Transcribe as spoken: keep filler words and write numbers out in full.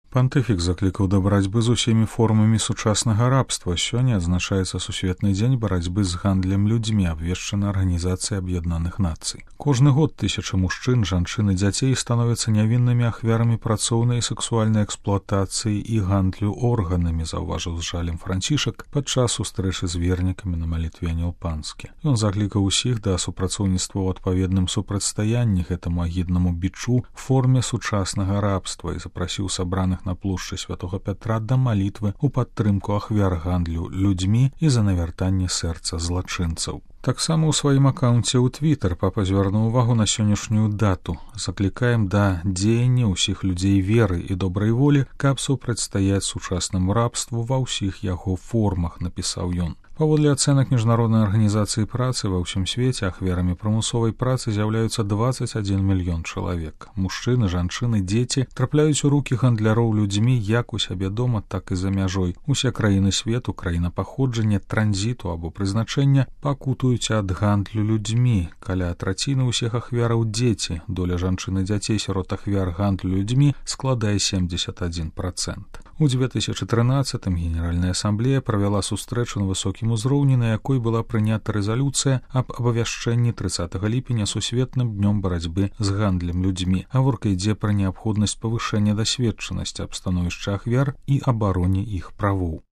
Пантыфік заклікаў да барацьбы з усімі формамі сучаснага рабства. Сёння адзначаецца сусветны дзень барацьбы з гандлем людзьмі, абвешчаны Арганізацыяй Аб'яднаных Нацый. Кожны год тысячы мужчын, жанчын і дзяцей становяцца нявіннымі ахвярамі працоўнай і сексуальнай эксплуатацыі і гандлю органамі, заўважыў з жалем Францішак падчас сустрэчы з вернікамі на малітве Анілпанскі. Ён заклікаў усіх да супрацоўніцтва ў адпаведным супрацьстаянні гэтаму агіднаму бічу в форме сучаснага рабства і запрасіў сабраных на плошчы Святога Пятра да малітвы ў падтрымку ахвяр гандлю людзьмі і за навяртанне сэрца злачынцаў. Таксама ў сваім акаунце ў Твіттер папа звярнуў увагу на сённяшнюю дату. Заклікаем да дзеяння ўсіх людзей веры і добрай волі, каб супрацьстаяць сучаснаму рабству ва ўсіх яго формах, напісаў ён. Паводле ацэнак Міжнароднай арганізацыі працы ва ўсім свеце ахвярамі прымусовай працы з'яўляюцца дваццаць адзін мільён чалавек. Мужчыны, жанчыны, дзеці трапляюць у рукі гандляроў людзьмі як у сябе дома, так і за мяжой. Усе краіны свету, краіна паходжання, транзіту або прызначэння пакутуюць ад гандлю людзьмі. Каля траціны ўсіх ахвяраў дзеці. Доля жанчын і дзяцей сярод ахвяр гандлю людзьмі складае семьдесят один процент. У две тысячи трынаццатым Генеральная асамблея правяла сустрэчу на высокім узроўні, на якой была прынята рэзалюцыя аб абавяшчэнні трыццатага ліпеня сусветным днём барацьбы з гандлем людзьмі. Гаворка ідзе пра неабходнасць павышэння дасведчанасці аб становішча ахвяр і абароне іх правоў.